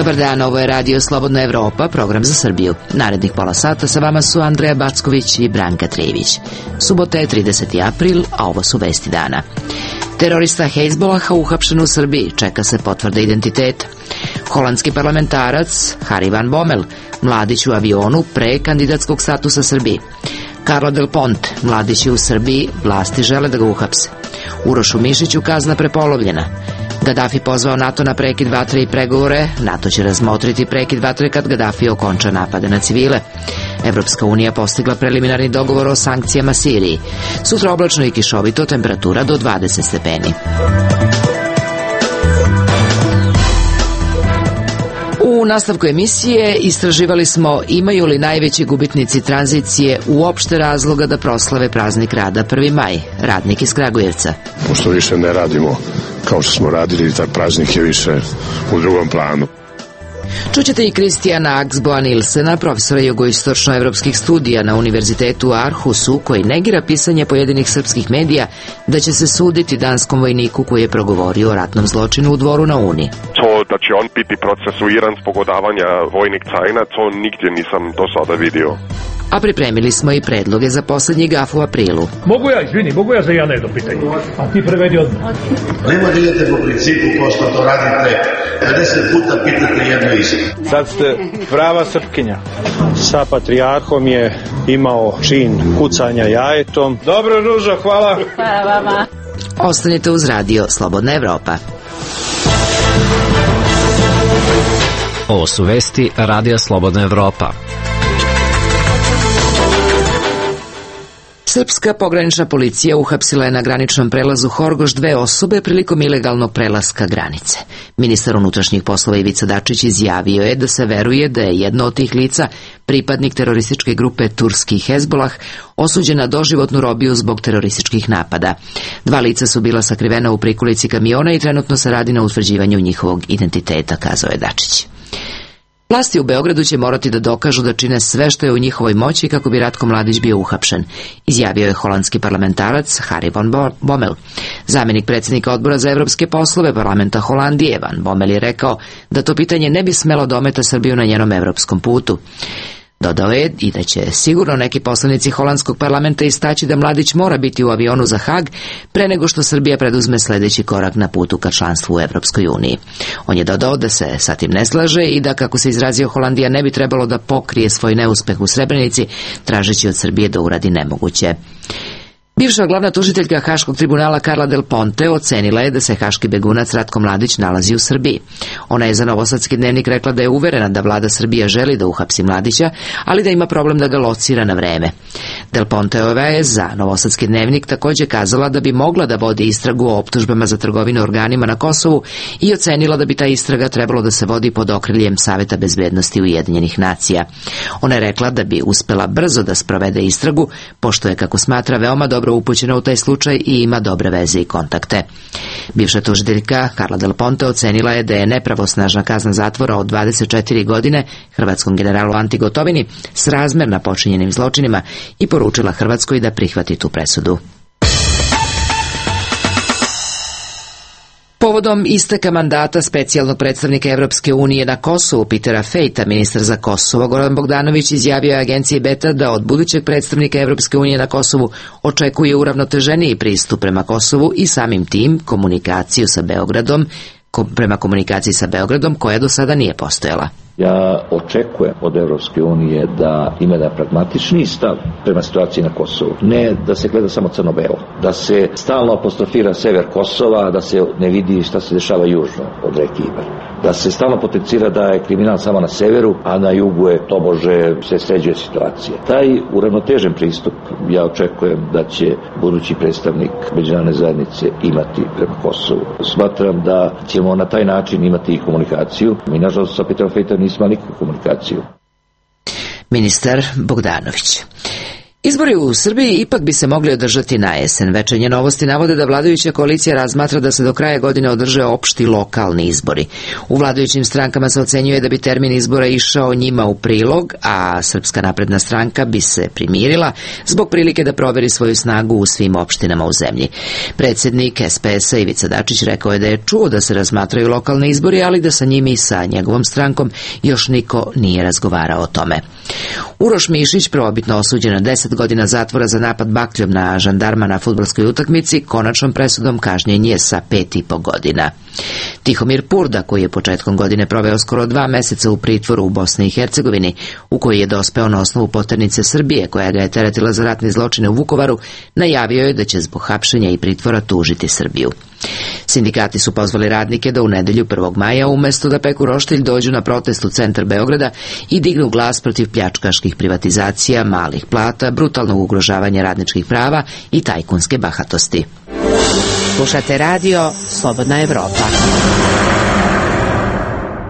Dobar dan, ovo je Radio Slobodna Evropa, program za Srbiju. Narednih pola sata sa vama su Andreja Backović i Branka Trijević. Subota je 30. april, a ovo su vesti dana. Terorista Hezbolaha uhapšen u Srbiji, čeka se potvrda identiteta. Holandski parlamentarac Harry van Bommel, mladić u avionu pre kandidatskog statusa Srbiji. Carla Del Ponte, mladić je u Srbiji, vlasti žele da ga uhapse. Urošu Mišiću kazna prepolovljena. Gaddafi pozvao NATO na prekid vatre i pregovore. NATO će razmotriti prekid vatre kad Gaddafi okonča napade na civile. Evropska unija postigla preliminarni dogovor o sankcijama Siriji. Sutra oblačno i kišovito, temperatura do 20 stepeni. U nastavku emisije istraživali smo imaju li najveći gubitnici tranzicije uopšte razloga da proslave praznik rada 1. maj, radnik iz Kragujevca. Pošto više ne radimo kao što smo radili, taj praznik je više u drugom planu. Čućete i Kristijana Axboa Nilsena, profesora jugoistočnoevropskih studija na Univerzitetu u Aarhusu, koji negira pisanje pojedinih srpskih medija da će se suditi danskom vojniku koji je progovorio o ratnom zločinu u Dvoru na Uni. To da će on biti procesuiran zbog odavanja vojnih tajna, to nigdje nisam do sada vidio. A pripremili smo i predloge za poslednji gaf u aprilu. Mogu ja za jedno pitanje? A ti prevedi odmah. Nemo da idete po principu ko što to radite, 50 puta pitate jedno isto. Sad ste prava Srpkinja. Sa patrijarhom je imao čin kucanja jajetom. Dobro, Ružo, hvala. Hvala vama. Ostanite uz Radio Slobodna Evropa. Ovo su vesti Radija Slobodna Evropa. Srpska pogranična policija uhapsila je na graničnom prelazu Horgoš 2 osobe prilikom ilegalnog prelaska granice. Ministar unutrašnjih poslova Ivica Dačić izjavio je da se veruje da je jedno od tih lica, pripadnik terorističke grupe turski Hezbolah, osuđen na doživotnu robiju zbog terorističkih napada. 2 lica su bila sakrivena u prikolici kamiona i trenutno se radi na utvrđivanju njihovog identiteta, kazao je Dačić. Vlasti u Beogradu će morati da dokažu da čine sve što je u njihovoj moći kako bi Ratko Mladić bio uhapšen, izjavio je holandski parlamentarac Harry van Bommel. Zamenik predsjednika odbora za evropske poslove parlamenta Holandije, Van Bommel, je rekao da to pitanje ne bi smelo da ometa Srbiju na njenom evropskom putu. Dodao je i da će sigurno neki poslanici holandskog parlamenta istaći da Mladić mora biti u avionu za Hag pre nego što Srbija preduzme sledeći korak na putu ka članstvu u Evropskoj uniji. On je dodao da se sa tim ne slaže i da, kako se izrazio, Holandija ne bi trebalo da pokrije svoj neuspeh u Srebrenici, tražeći od Srbije da uradi nemoguće. Bivša glavna tužiteljka Haškog tribunala Carla Del Ponte ocenila je da se haški begunac Ratko Mladić nalazi u Srbiji. Ona je za Novosadski dnevnik rekla da je uverena da vlada Srbija želi da uhapsi Mladića, ali da ima problem da ga locira na vreme. Del Ponteova je za Novosadski dnevnik također kazala da bi mogla da vodi istragu o optužbama za trgovinu organima na Kosovu i ocenila da bi ta istraga trebalo da se vodi pod okriljem Saveta bezbednosti Ujedinjenih nacija. Ona je rekla da bi uspela brzo da sprovede istragu, pošto je, kako smatra, veoma dobro upućena u taj slučaj i ima dobre veze i kontakte. Bivša tužiteljka Carla Del Ponte ocenila je da je nepravosnažna kazna zatvora od 24 godine hrvatskom generalu Anti Gotovini srazmerna počinjenim zločinima i poručila Hrvatskoj da prihvati tu presudu. Povodom isteka mandata specijalnog predstavnika Evropske unije na Kosovu Petera Fejta, ministar za Kosovo Goran Bogdanović izjavio je agenciji Beta da od budućeg predstavnika Evropske unije na Kosovu očekuje uravnoteženiji pristup prema Kosovu i samim tim komunikaciju sa Beogradom, prema komunikaciji sa Beogradom koja do sada nije postojala. Ja očekujem od Evropske unije da ima jedan pragmatični stav prema situaciji na Kosovu. Ne da se gleda samo crno-belo, da se stalno apostrofira sever Kosova, da se ne vidi šta se dešava južno od reke Ibar. Da se stalno potencira da je kriminal samo na severu, a na jugu je tobože se sređuje situacija. Taj uravnotežen pristup ja očekujem da će budući predstavnik međunarodne zajednice imati prema Kosovu. Smatram da ćemo na taj način imati i komunikaciju. Mi, nažalost, sa Petrom Fejtom nismo nikakvu komunikaciju. Ministar Bogdanović. Izbori u Srbiji ipak bi se mogli održati na jesen. Večernje novosti navode da vladajuća koalicija razmatra da se do kraja godine održe opšti lokalni izbori. U vladajućim strankama se ocenjuje da bi termin izbora išao njima u prilog, a Srpska napredna stranka bi se primirila zbog prilike da proveri svoju snagu u svim opštinama u zemlji. Predsjednik SPS-a Ivica Dačić rekao je da je čuo da se razmatraju lokalni izbori, ali da sa njim i sa njegovom strankom još niko nije razgovarao o tome. Uroš Mišić, prvobitno osuđen na 10 godina zatvora za napad bakljom na žandarma na fudbalskoj utakmici, konačnom presudom kažnjen je sa 5,5 godina. Tihomir Purda, koji je početkom godine proveo skoro 2 meseca u pritvoru u Bosni i Hercegovini, u koji je dospeo na osnovu poternice Srbije, koja ga je teretila za ratne zločine u Vukovaru, najavio je da će zbog hapšenja i pritvora tužiti Srbiju. Sindikati su pozvali radnike da u nedelju 1. maja umesto da peku roštilj dođu na protest u centar Beograda i dignu glas protiv pljačkaških privatizacija, malih plata, brutalnog ugrožavanja radničkih prava i tajkunske bahatosti. Slušate radio Slobodna Evropa.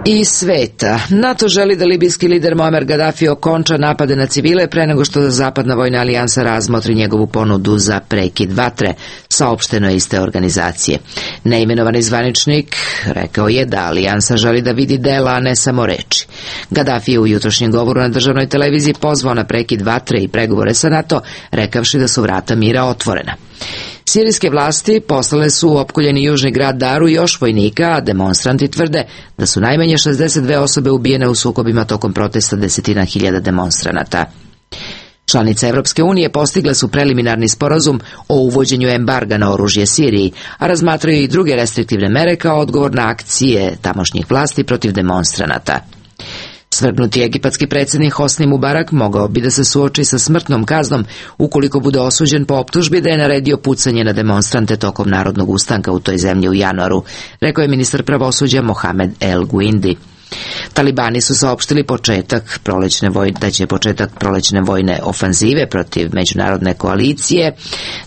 Iz sveta. NATO želi da libijski lider Muammar Gaddafi okonča napade na civile pre nego što Zapadna vojna alijansa razmotri njegovu ponudu za prekid vatre, saopšteno je iz te organizacije. Neimenovani zvaničnik rekao je da alijansa želi da vidi dela, a ne samo reči. Gaddafi je u jutrošnjem govoru na državnoj televiziji pozvao na prekid vatre i pregovore sa NATO, rekavši da su vrata mira otvorena. Sirijske vlasti poslale su u opkoljeni južni grad Daru još vojnika, a demonstranti tvrde da su najmanje 62 osobe ubijene u sukobima tokom protesta desetina hiljada demonstranata. Članice Evropske unije postigle su preliminarni sporazum o uvođenju embarga na oružje Siriji, a razmatraju i druge restriktivne mere kao odgovor na akcije tamošnjih vlasti protiv demonstranata. Svrgnuti egipatski predsjednik Hosni Mubarak mogao bi da se suoči sa smrtnom kaznom ukoliko bude osuđen po optužbi da je naredio pucanje na demonstrante tokom narodnog ustanka u toj zemlji u januaru, rekao je ministar pravosuđa Mohamed El Guindi. Talibani su saopštili da će početak prolećne vojne ofanzive protiv međunarodne koalicije,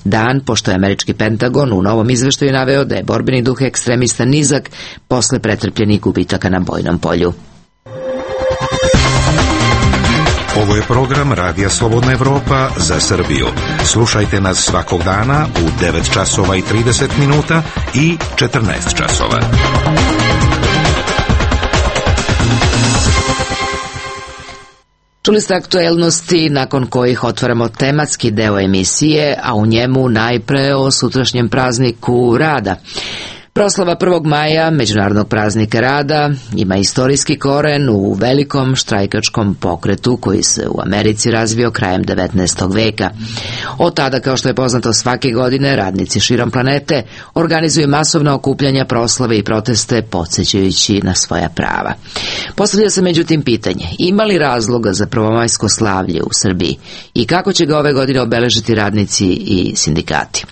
dan pošto je američki Pentagon u novom izveštaju naveo da je borbeni duh ekstremista nizak posle pretrpljenih gubitaka na bojnom polju. Ovo je program Radija Slobodna Evropa za Srbiju. Slušajte nas svakog dana u 9 časova i 30 minuta i 14 časova. Čuli ste aktuelnosti nakon kojih otvaramo tematski deo emisije, a u njemu najpre o sutrašnjem prazniku rada. Proslava 1. maja, međunarodnog praznika rada, ima istorijski koren u velikom štrajkačkom pokretu koji se u Americi razvio krajem 19. veka. Od tada, kao što je poznato svake godine, radnici širom planete organizuju masovna okupljanja, proslave i proteste podsjećajući na svoja prava. Postavlja se međutim pitanje, ima li razloga za prvomajsko slavlje u Srbiji i kako će ga ove godine obeležiti radnici i sindikati?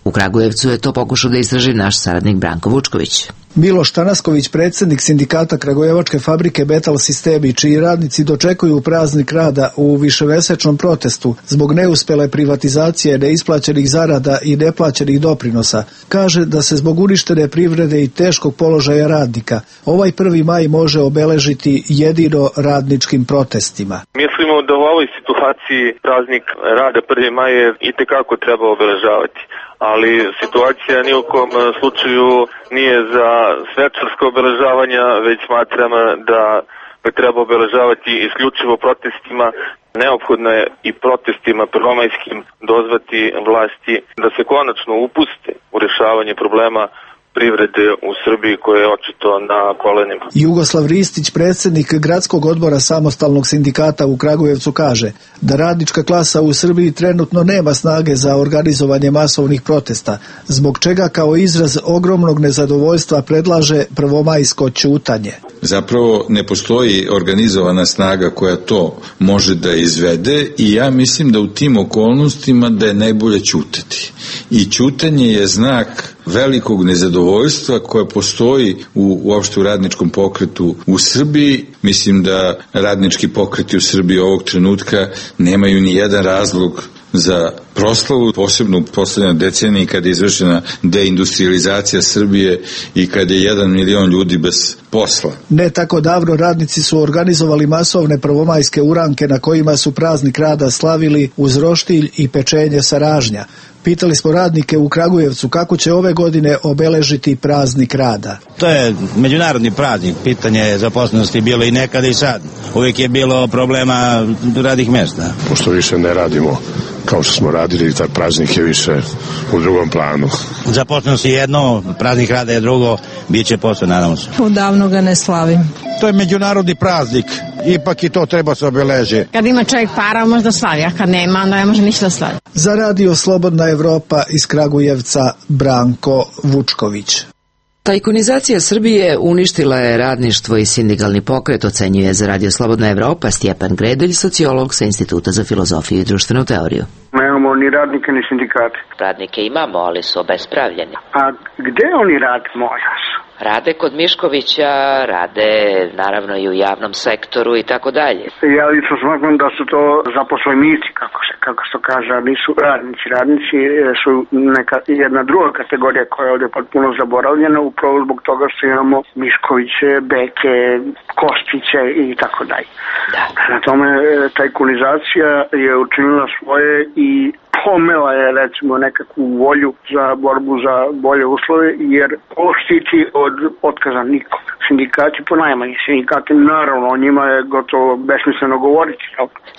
U Kragujevcu je to pokušao da istraži naš saradnik Branko Vučković. Miloš Tanasković, predsjednik sindikata Kragujevačke fabrike Betal Sistemi, čiji radnici dočekuju praznik rada u višemesečnom protestu zbog neuspele privatizacije, neisplaćenih zarada i neplaćenih doprinosa, kaže da se zbog uništene privrede i teškog položaja radnika ovaj 1. maj može obeležiti jedino radničkim protestima. Mislimo da u ovoj situaciji praznik rada 1. maj itekako treba obeležavati. Ali situacija ni u kom slučaju nije za svečarsko obeležavanja, već smatram da ga treba obeležavati isključivo protestima. Neophodno je i protestima prvomajskim dozvati vlasti da se konačno upuste u rješavanje problema privrede u Srbiji koja je očito na kolenima. Jugoslav Ristić, predsjednik gradskog odbora samostalnog sindikata u Kragujevcu, kaže da radnička klasa u Srbiji trenutno nema snage za organizovanje masovnih protesta, zbog čega kao izraz ogromnog nezadovoljstva predlaže prvomajsko ćutanje. Zapravo ne postoji organizovana snaga koja to može da izvede i ja mislim da u tim okolnostima da je najbolje ćutati. I ćutanje je znak velikog nezadovoljstva koje postoji uopšte u radničkom pokretu u Srbiji. Mislim da radnički pokreti u Srbiji ovog trenutka nemaju ni jedan razlog za proslavu, posebno u poslednjoj deceniji kad je izvršena deindustrializacija Srbije i kad je 1 milion ljudi bez posla. Ne tako davno radnici su organizovali masovne prvomajske uranke na kojima su praznik rada slavili uz roštilj i pečenje sa ražnja. Pitali smo radnike u Kragujevcu kako će ove godine obeležiti praznik rada. To je međunarodni praznik, pitanje zaposlenosti bilo i nekada i sad. Uvijek je bilo problema radnih mesta. Pošto više ne radimo kao što smo radili, taj praznik je više u drugom planu. Zaposlenost je jedno, praznik rada je drugo, bit će posle, nadamo se. Odavno ga ne slavim. To je međunarodni praznik, ipak i to treba se obeleži. Kad ima čovjek para, možda slavi, a kad nema, onda ne može ništa slavi. Za Radio Slobodna Evropa iz Kragujevca, Branko Vučković. Tajkunizacija Srbije uništila je radništvo i sindikalni pokret, ocenjuje za Radio Slobodna Evropa Stjepan Gredelj, sociolog sa Instituta za filozofiju i društvenu teoriju. Nemamo ni radnike ni sindikate. Radnike imamo, ali su obespravljeni. A gde oni rade, molim vas? Rade kod Miškovića, rade naravno i u javnom sektoru i tako dalje. Ja lično smatram da su to zaposlenici, kako se kaže, a nisu radnici. Radnici su jedna druga kategorija koja je ovdje potpuno zaboravljena, upravo zbog toga što imamo Miškoviće, Beke, Kostiće i tako dalje. Na tome tajkunizacija je učinila svoje i pomela je recimo nekakvu volju za borbu za bolje uslove, jer ovo štiti od otkaza nikom. Sindikati ponajmanje. Sindikati naravno, o njima je gotovo besmisleno govoriti.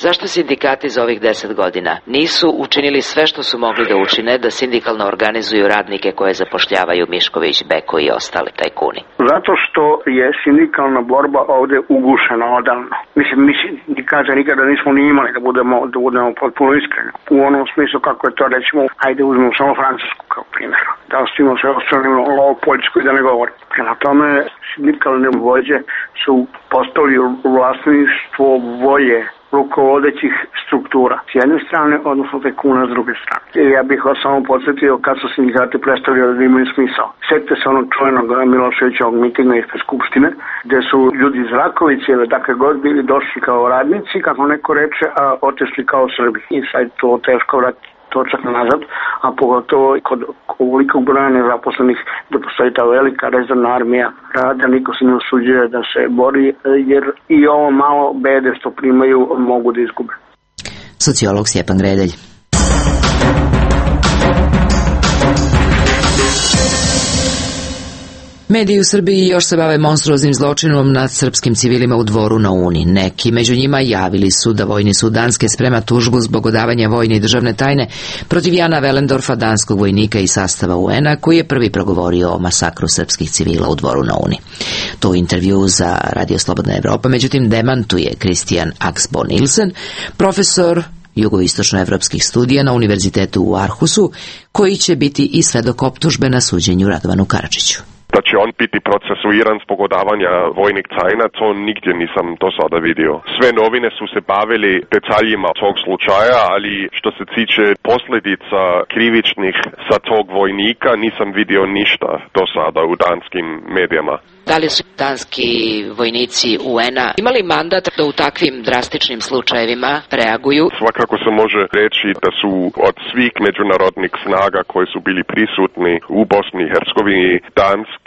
Zašto sindikati za ovih 10 godina nisu učinili sve što su mogli da učine da sindikalno organizuju radnike koje zapošljavaju Mišković, Beko i ostali tajkuni? Zato što je sindikalna borba ovdje ugušena odavno. Mislim, mi sindikata nikada nismo ni imali, da budemo potpuno iskreni. U onom smislu kako je to, recimo, ajde uzmemo samo Francusku kao primjer. Da ostavimo sve ostavimo ovo Poljsku i da ne govorim. Prema tome, sindikalne vođe su postali vlasništvo volje rukovodećih struktura s jedne strane, odnosno tajkuna s druge strane. I ja bih vas samo podsjetio kad su sindikati predstavljali da imaju smisao. Sjetite se onog čuvenog Miloševićevog mitinga ispred Skupštine, gde su ljudi iz Rakovice ili dakle god bili došli kao radnici, kako neko reče, a otišli kao Srbi. I sad to teško vratiti točak nazad, a pogotovo kod ovolikog broja nezaposlenih da postoji ta velika rezervna armija rada, niko se ne usuđuje da se bori, jer i ovo malo bede što primaju mogu da izgube. Sociolog Stjepan Gredelj. Mediji u Srbiji još se bave monstruoznim zločinom nad srpskim civilima u Dvoru na Uni. Neki među njima javili su da vojni sud Danske sprema tužbu zbog odavanja vojne i državne tajne protiv Jana Velendorfa, danskog vojnika iz sastava UN-a, koji je prvi progovorio o masakru srpskih civila u Dvoru na Uni. To u intervju za Radio Slobodna Evropa, međutim, demantuje Kristijan Axbo Nielsen, profesor jugoistočnoevropskih studija na Univerzitetu u Arhusu, koji će biti i svedok optužbe na suđenju Radovanu Karadžiću. Da će on biti procesuiran zbog odavanja vojnih tajna, to nigdje nisam do sada vidio. Sve novine su se bavili detaljima tog slučaja, ali što se tiče posljedica krivičnih sa tog vojnika, nisam vidio ništa do sada u danskim medijama. Da li su danski vojnici UN-a imali mandat da u takvim drastičnim slučajevima reaguju? Svakako se može reći da su od svih međunarodnih snaga koji su bili prisutni u Bosni i Hercegovini, danski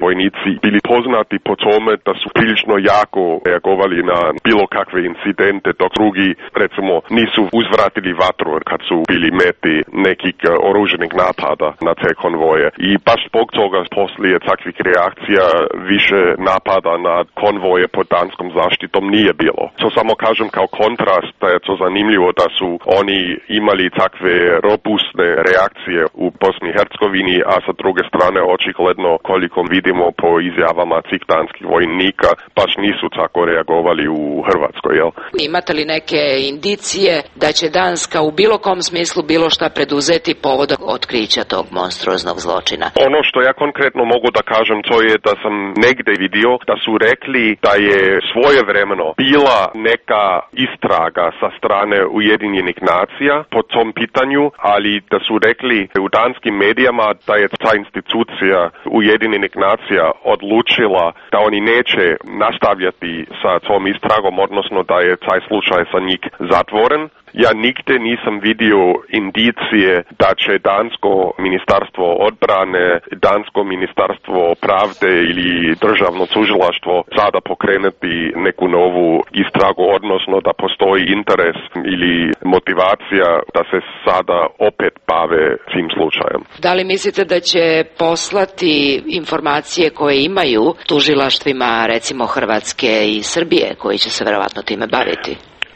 vojnici bili poznati po tome da su prilično jako reagovali na bilo kakve incidente, dok drugi recimo nisu uzvratili vatru kad su bili meti nekih oruženih napada na te konvoje. I baš zbog toga poslije takvih reakcija više napada na konvoje pod danskom zaštitom nije bilo. To samo kažem kao kontrast da je to zanimljivo da su oni imali takve robustne reakcije u Bosni i Hercegovini, a sa druge strane očigledno koliko vidimo po izjavama tih danskih vojnika baš nisu tako reagovali u Hrvatskoj, jel? Imate li neke indicije da će Danska u bilo kom smislu bilo šta preduzeti povodom otkrića tog monstruoznog zločina? Ono što ja konkretno mogu da kažem to je da sam negde vidio da su rekli da je svojevremeno bila neka istraga sa strane Ujedinjenih nacija po tom pitanju, ali da su rekli u danskim medijama da je ta institucija Ujedinjenih nacija odlučila da oni neće nastavljati sa tom istragom, odnosno da je taj slučaj sa njih zatvoren. Ja nigde nisam vidio indicije da će dansko ministarstvo odbrane, dansko ministarstvo pravde ili državno tužilaštvo sada pokrenuti neku novu istragu, odnosno da postoji interes ili motivacija da se sada opet bave tim slučajem. Da li mislite da će poslati informacije koje imaju tužilaštvima, recimo Hrvatske i Srbije, koji će se verovatno time baviti?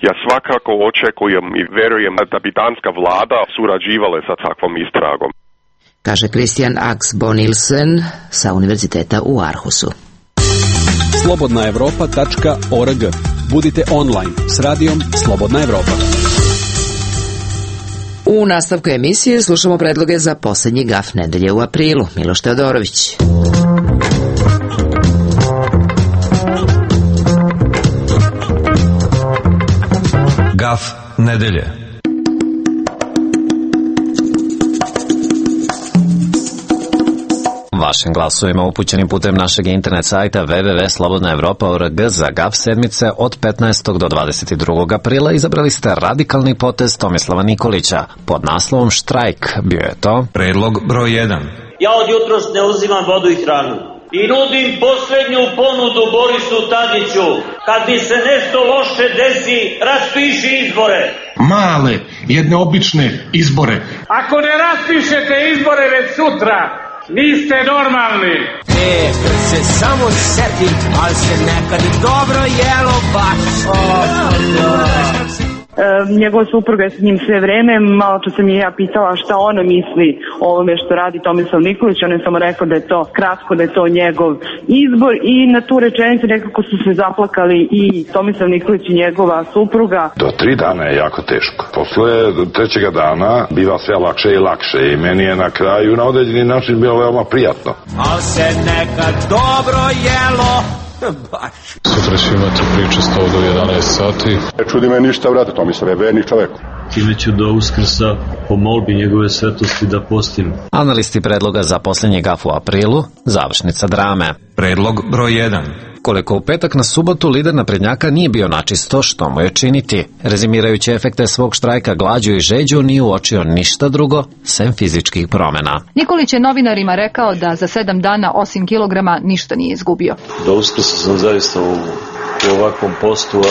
Ja svakako očekujem i verujem da bi danska vlada surađivala sa takvom istragom. Kaže Christian Axbo Nielsen sa Univerziteta u Aarhusu. Slobodnaevropa.org. Budite online s radijom Slobodna Evropa. U nastavku emisije slušamo predloge za posljednji gaf nedelje u aprilu. Miloš Teodorović. Gaf nedelje. Vašim glasovima upućenim putem našeg internet sajta www.slobodnaevropa.org za GAF sedmice od 15. do 22. aprila izabrali ste radikalni potez Tomislava Nikolića pod naslovom Štrajk. Bio je to predlog broj 1. Ja od jutros ne uzimam vodu i hranu i nudim posljednju ponudu Borisu Tadiću. Kad mi se nešto loše desi, raspiši izbore. Male, jedne obične izbore. Ako ne raspišete izbore već sutra, niste normalni. Kad se samo setim, ali se nekad i dobro jelo baš. Njegova supruga je s njim sve vreme, malo čas sam je ja pitala šta ona misli o ovome što radi Tomislav Nikolić, on je samo rekao da je to kratko, da je to njegov izbor i na tu rečenicu nekako su se zaplakali i Tomislav Nikolić i njegova supruga. Do 3 dana je jako teško. Posle 3. dana biva sve lakše i lakše i meni je na kraju na određeni način bilo veoma prijatno. Al se nekad dobro jelo. Sutra ću imati priče 100 do 11 sati. Ne čudi me ništa, vrate, Tomislav je verni čovek. Time ću do Uskrsa po molbi njegove svetosti da postim. Analisti predloga za posljednji gaf u aprilu, završnica drame. Predlog broj 1. Koliko u petak na subotu lider naprednjaka nije bio načisto, što mu je činiti. Rezimirajući efekte svog štrajka glađu i žeđu nije uočio ništa drugo, sem fizičkih promjena. Nikolić je novinarima rekao da za 7 dana osim kilograma ništa nije izgubio. Do Uskrsa sam zaista u ovakvom postu,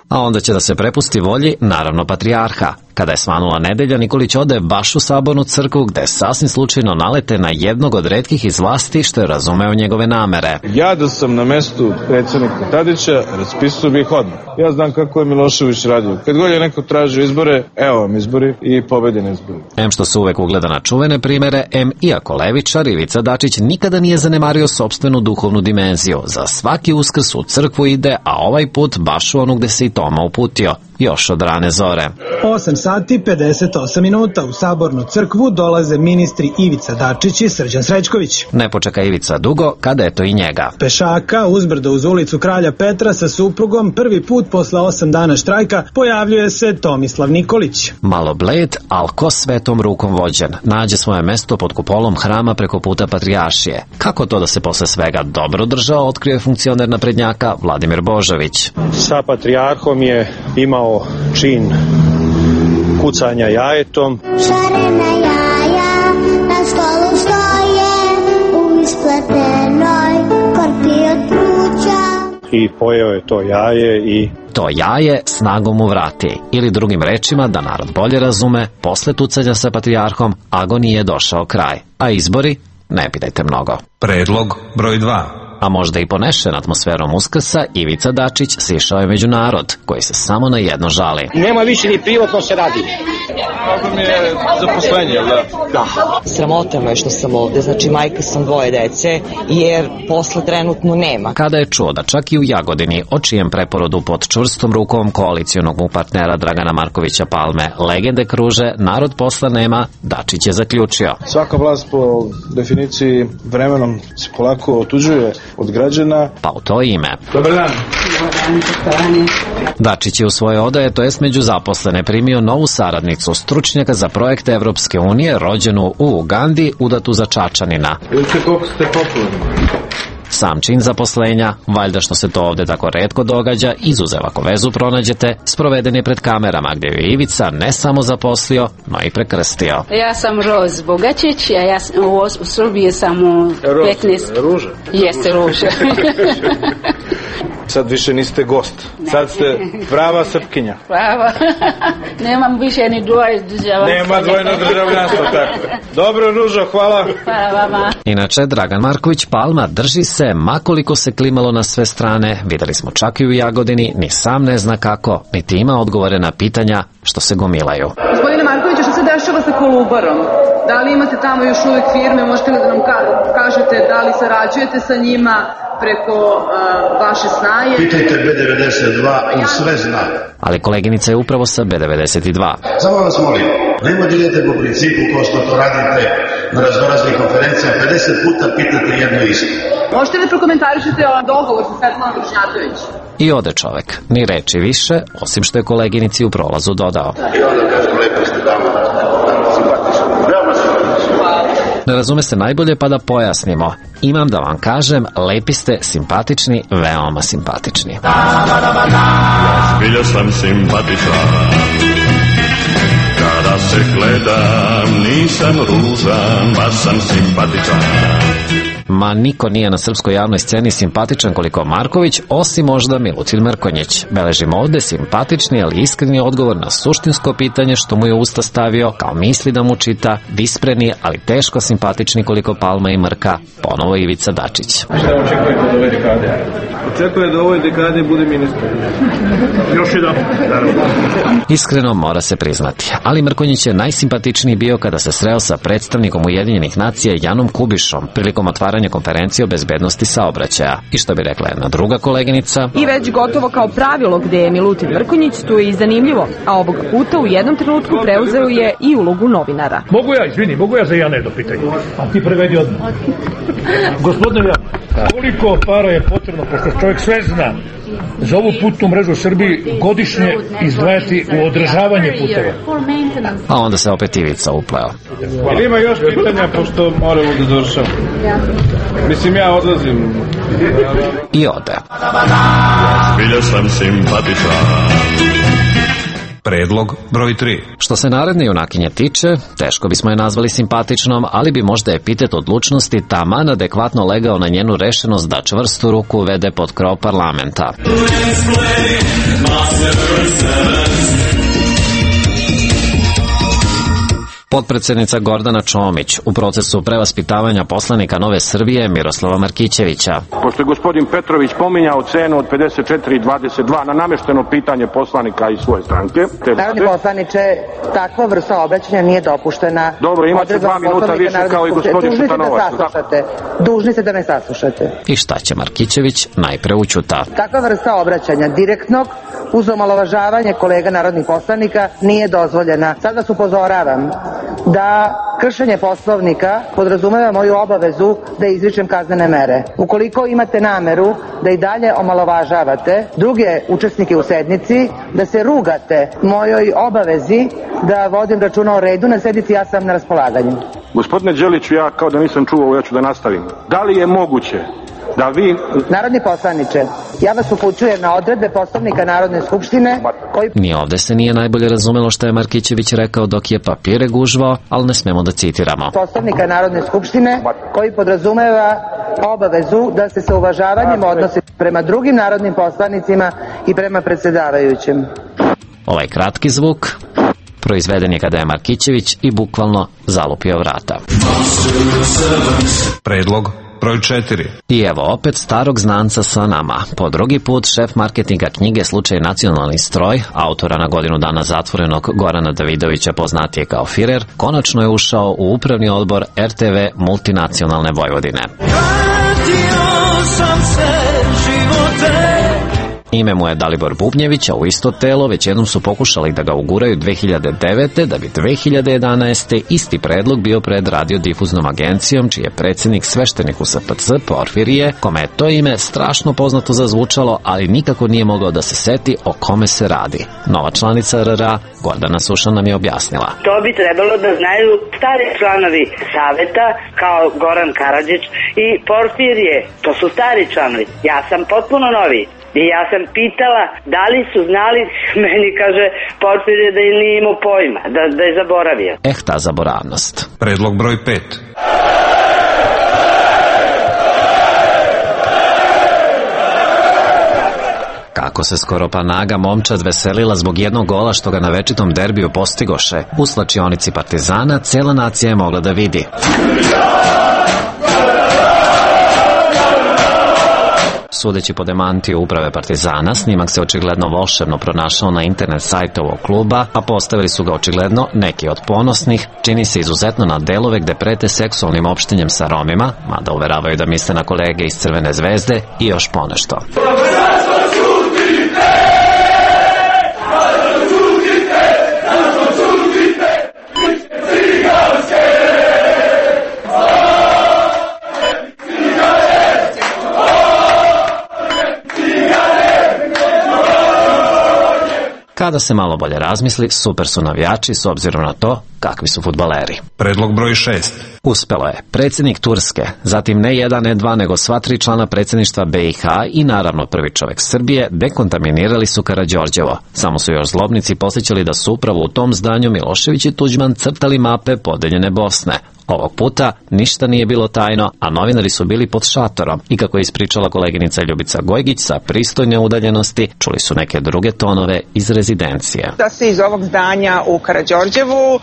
a onda će da se prepusti volji, naravno, patrijarha. Kada je svanula nedelja, Nikolić ode baš u sabornu crkvu, gde sasvim slučajno nalete na jednog od retkih iz vlasti što je razumeo njegove namere. Ja da sam na mestu predsjednika Tadića, raspisao bih odmah. Ja znam kako je Milošević radio. Kad god je neko tražio izbore, evo vam izbori i pobedi na izbori. Em što se uvek ugleda na čuvene primere, em iako levičar Ivica Dačić nikada nije zanemario sopstvenu duhovnu dimenziju. Za svaki Uskrs u crkvu ide, a ovaj put baš u onu gde se i Toma uputio, još od rane zore. 8 sati 58 minuta u sabornu crkvu dolaze ministri Ivica Dačić i Srđan Srećković. Ne počeka Ivica dugo, kada je to i njega. Pešaka uzbrdo uz ulicu Kralja Petra sa suprugom prvi put posle 8 dana štrajka pojavljuje se Tomislav Nikolić. Malo bled, al ko svetom rukom vođen, nađe svoje mesto pod kupolom hrama preko puta Patrijaršije. Kako to da se posle svega dobro držao, otkrio funkcioner naprednjaka Vladimir Božović. Sa patrijarhom je imao čin kucanja jajetom. Šarena jaja na stolu stoje u ispletenoj korpi od pruća. I pojeo je to jaje i... To jaje snagom mu vrati. Ili drugim rečima, da narod bolje razume, posle tucanja sa patrijarhom agoniji je došao kraj. A izbori? Ne pitajte mnogo. Predlog broj 2. A možda i ponešen atmosferom Uskrsa, Ivica Dačić sišao je među narod, koji se samo na jedno žali. Nema više ni privatno se radi. Problem je zaposlenje, da? Da. Sramota me što sam ovde, znači majka sam 2 dece, jer posla trenutno nema. Kada je čuo da čak i u Jagodini, o čijem preporodu pod čvrstom rukom koalicionog mu partnera Dragana Markovića Palme legende kruže, narod posla nema, Dačić je zaključio. Svaka vlast po definiciji vremenom se polako otuđuje od građana. Pa u to ime. Dobar dan. Dačić je u svoje odaje, to jest među zaposlene, primio novu saradnicu, stručnjaka za projekte Evropske unije, rođenu u Ugandi, udatu za Čačanina. Vidite koliko ste popularni. Sam čin zaposlenja, valjda što se to ovde tako retko događa, izuzev ako vezu pronađete, sproveden je pred kamerama gdje je Ivica ne samo zaposlio, no i prekrstio. Ja sam Roz Bogačić, a ja u Srbiji sam u 15... Ruža? Jeste Ruža. Sad više niste gost. Sad ste prava Srpkinja. Prava. Nemam više ni dvoje državljanstva. Nema dvojno državljanstvo, tako. Dobro, Ružo, hvala. Hvala vama. Inače, Dragan Marković Palma drži se, makoliko se klimalo na sve strane, videli smo čak i u Jagodini, ni sam ne zna kako, niti ima odgovore na pitanja što se gomilaju. Gospodine Markoviću, što se dešava sa Kolubarom? Da li imate tamo još uvijek firme? Možete li da nam kažete da li sarađujete sa njima preko vaše snaje? Pitajte B92, on sve zna. Ali koleginica je upravo sa B92. Samo vas molim, nema da idete po principu kao što to radite na raznoraznih konferencijama, 50 puta pitate jedno isto. Možete li prokomentarišete o dogovor sa Svetlanom Bošnjatović? I ode čovek, ni reči više, osim što je koleginici u prolazu dodao. I onda kažem, lepo ste dama, simpatično, veoma simpatično. Ne razume se najbolje, pa da pojasnimo. Imam da vam kažem, lepi ste, simpatični, veoma simpatični. Zbilja sam simpatičan, kada se gledam, nisam ružan, baš sam simpatičan. Ma niko nije na srpskoj javnoj sceni simpatičan koliko Marković, osim možda Milutin Mrkonjić. Beležimo ovde simpatični, ali iskreni odgovor na suštinsko pitanje što mu je usta stavio, kao misli da mu čita, vispreni, ali teško simpatični koliko Palma i Mrka, ponovo Ivica Dačić. Šta očekujete od ove dekade? Očekuje da u ovoj dekade bude ministar. Još jedan. Iskreno mora se priznati, ali Mrkonjić je najsimpatičniji bio kada se sreo sa predstavnikom Ujedinjenih nacija Janom Kubišom prilikom otvaranja konferencije o bezbednosti saobraćaja. I što bi rekla jedna druga koleginica? I već gotovo kao pravilo gde je Milutin Mrkonjić, tu je i zanimljivo, a ovog puta u jednom trenutku preuzeo je i ulogu novinara. Mogu ja za jedno pitanje? A ti prevedi odmah. Gospodine, koliko para je potrebno, pošto čovjek sve zna, za ovu putnu mrežu u Srbiji godišnje izdvajati u održavanje puteva? A onda se opet Ivica upleo. Ali ima još pitanja, pošto moramo da završamo. Mislim, ja odlazim. I ode. Zbilja sam simpatičan. Predlog broj 3. Što se naredne junakinje tiče, teško bismo je nazvali simpatičnom, ali bi možda epitet odlučnosti taman adekvatno legao na njenu rešenost da čvrstu ruku uvede pod krov parlamenta. Potpredsednica Gordana Čomić u procesu prevaspitavanja poslanika Nove Srbije Miroslava Markićevića. Pošto je gospodin Petrović pominjao cenu od 54,22 na namešteno pitanje poslanika iz svoje stranke. Narodni poslaniče, takva vrsta obraćanja nije dopuštena. Dobro, imate 2 minuta više kao i gospodin Šutanovac. Dužni ste da me saslušate. I šta će Markićević najpre ućuta? Takva vrsta obraćanja direktnog uz omalovažavanje kolega narodnih poslanika nije dozvoljena. Sad vas upozoravam da kršenje Poslovnika podrazumeva moju obavezu da izričem kaznene mere. Ukoliko imate nameru da i dalje omalovažavate druge učesnike u sednici, da se rugate mojoj obavezi da vodim računa o redu na sednici, ja sam na raspolaganju. Gospodine Đeliću, ja kao da nisam čuo, ja ću da nastavim. Da li je moguće da vi... Narodni poslaniče, ja vas upućujem na odredbe Poslovnika Narodne skupštine koji... Ni ovde se nije najbolje razumelo što je Markićević rekao dok je papire gužvao, ali ne smemo da citiramo. Poslovnika Narodne skupštine koji podrazumeva obavezu da se sa uvažavanjem odnosi prema drugim narodnim poslanicima i prema predsjedavajućem. Ovaj kratki zvuk proizveden je kada je Markićević i bukvalno zalupio vrata. Predlog broj 4. I evo opet starog znanca sa nama. Po drugi put šef marketinga knjige Slučaj nacionalni stroj, autora na godinu dana zatvorenog Gorana Davidovića poznatije kao Firer, konačno je ušao u upravni odbor RTV Multinacionalne Vojvodine. Ime mu je Dalibor Bubnjević, a u isto telo već jednom su pokušali da ga uguraju 2009. da bi 2011. isti predlog bio pred radiodifuznom agencijom, čiji je predsjednik sveštenik u SPC Porfirije, kome je to ime strašno poznato zazvučalo, ali nikako nije mogao da se seti o kome se radi. Nova članica RRA, Gordana Suša, nam je objasnila. To bi trebalo da znaju stari članovi saveta, kao Goran Karadžić i Porfirije. To su stari članovi. Ja sam potpuno novi. I ja sam pitala da li su znali, meni kaže Porfirije da je nije imao pojma, da je zaboravio. Ta zaboravnost. Predlog broj 5. Kako se skoro pa naga momčad veselila zbog jednog gola što ga na večitom derbiju postigoše. U slačionici Partizana cela nacija je mogla da vidi. Sudeći po demantiju uprave Partizana, snimak se očigledno volšebno pronašao na internet sajtu ovog kluba, a postavili su ga očigledno neki od ponosnih, čini se izuzetno na delove gde prete seksualnim opštenjem sa Romima, mada uveravaju da misle na kolege iz Crvene zvezde i još ponešto. Kada se malo bolje razmisli, super su navijači s obzirom na to kakvi su fudbaleri. Predlog broj 6. Uspelo je. Predsjednik Turske, zatim ne jedan, ne dva, nego sva 3 člana predsjedništva BiH i naravno prvi čovjek Srbije dekontaminirali su Karađorđevo. Samo su još zlobnici posjećali da su upravo u tom zdanju Milošević i Tuđman crtali mape podeljene Bosne. Ovog puta ništa nije bilo tajno, a novinari su bili pod šatorom i kako je ispričala koleginica Ljubica Gojgić sa pristojne udaljenosti, čuli su neke druge tonove iz rezidencije. Da se iz ovog zdanja u Karađorđevu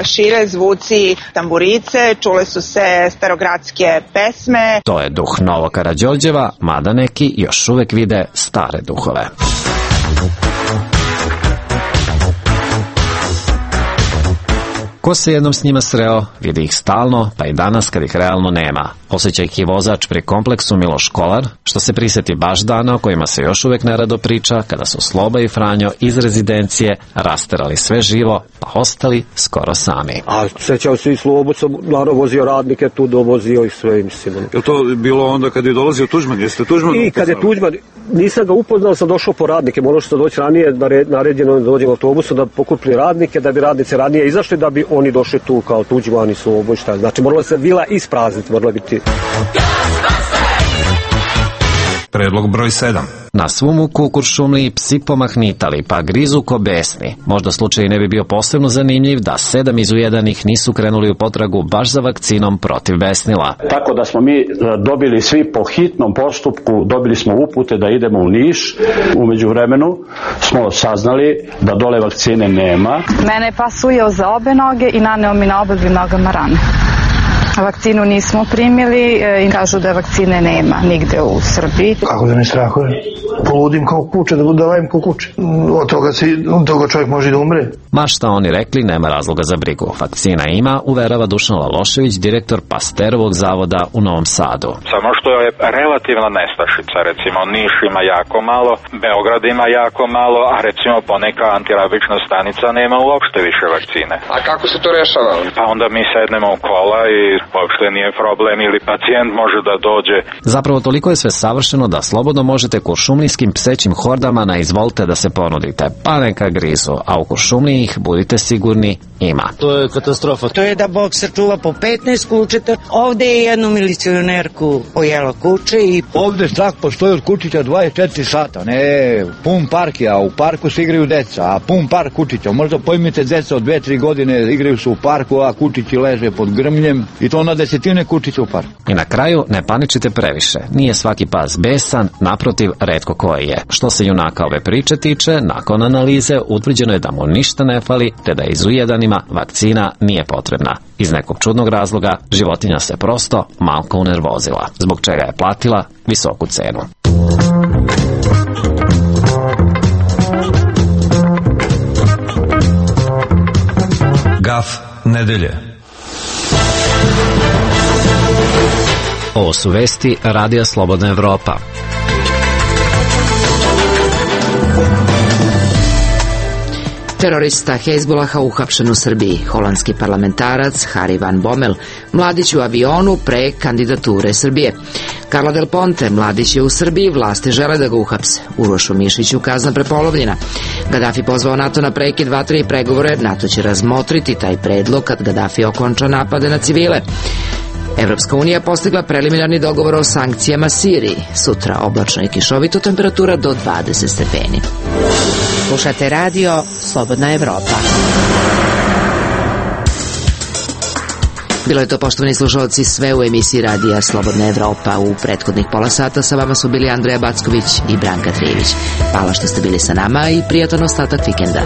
šire zvuci tamburice, čule su se starogradske pesme. To je duh Novo Karađorđeva, mada neki još uvek vide stare duhove. Ko se jednom s njima sreo, vidi ih stalno, pa i danas kad ih realno nema. Osjeća ih i vozač pri kompleksu Miloš Kolar, što se prisjeti baš dana o kojima se još uvek nerado priča, kada su Sloba i Franjo iz rezidencije rasterali sve živo, pa ostali skoro sami. A sećao se i Slobo, sam naravno vozio radnike, tu dovozio i sve, mislim. Je to bilo onda kad je dolazio Tuđman? Jeste Tuđman? I kad je Tuđman, nisam ga upoznao, sam došao po radnike, morao sam doći ranije, naređeno da dođem autobusom da pokupili radnike, da bi radnice ranije izašli, da bi oni došli tu kao Tuđman i Slobo i šta. Znači morala se vila isprazniti, morala biti. Predlog broj 7. Na svu muku u Kuršumliji psi pomahnitali, pa grizu ko besni. Možda slučaj ne bi bio posebno zanimljiv da 7 izujedanih nisu krenuli u potragu baš za vakcinom protiv besnila. Tako da smo mi dobili svi po hitnom postupku, dobili smo upute da idemo u Niš. U međuvremenu smo saznali da dole vakcine nema. Mene je pas ujeo za obe noge i naneo mi na obe nogama rane. Vakcinu nismo primili i kažu da vakcine nema nigde u Srbiji. Kako da me strahuje? Poludim kao kuće, da vajem kao kuće. Od toga čovjek može da umre. Ma šta oni rekli, nema razloga za brigu. Vakcina ima, uverava Dušan Lalošević, direktor Pasterovog zavoda u Novom Sadu. Samo što je relativna nestašica, recimo Niš ima jako malo, Beograd ima jako malo, a recimo poneka antirabična stanica nema uopšte više vakcine. A kako se to rešava? Pa onda mi sednemo u kola i uopšte nije problem ili pacijent može da dođe. Zapravo toliko je sve savršeno da slobodno možete kuršumlijskim psećim hordama na izvolite da se ponudite, pa neka grizu, a u Kuršumliji ih, budite sigurni, ima. To je katastrofa. To je da Bog sačuva po 15 kućeta. Ovde je jednu milicionerku pojela kuće i... Ovde strah postoji od kućića 24 sata. Ne, pun park je, a u parku se igraju deca, a pun park kućića. Možda pojmite deca od 2-3 godine igraju se u parku, a kućići leže pod grmljem i to na desetine kućića u parku. I na kraju ne paničite previše. Nije svaki pas besan, naprotiv, retko koji je. Što se junaka ove priče tiče, nakon analize utvrđeno je da mu ništa ne fali, te da izujedanima vakcina nije potrebna. Iz nekog čudnog razloga životinja se prosto malko unervozila, zbog čega je platila visoku cenu. Gaf nedelje. Ovo su vesti Radija Slobodna Evropa. Terorista Hezbolaha uhapšen u Srbiji. Holandski parlamentarac Harry van Bommel, mladić u avionu pre kandidature Srbije. Carla Del Ponte, mladić je u Srbiji, vlasti žele da ga uhapse. Urošu Mišiću kazna prepolovljena. Gaddafi pozvao NATO na prekid vatre i pregovore. NATO će razmotriti taj predlog kad Gaddafi okonča napade na civile. Evropska unija postigla preliminarni dogovor o sankcijama Siriji. Sutra oblačno i kišovito, temperatura do 20 stepeni. Slušate radio Slobodna Evropa. Bilo je to, poštovani slušalci, sve u emisiji radija Slobodna Evropa. U prethodnih pola sata sa vama su bili Andreja Backović i Branka Trijević. Hvala što ste bili sa nama i prijatan ostatak vikenda.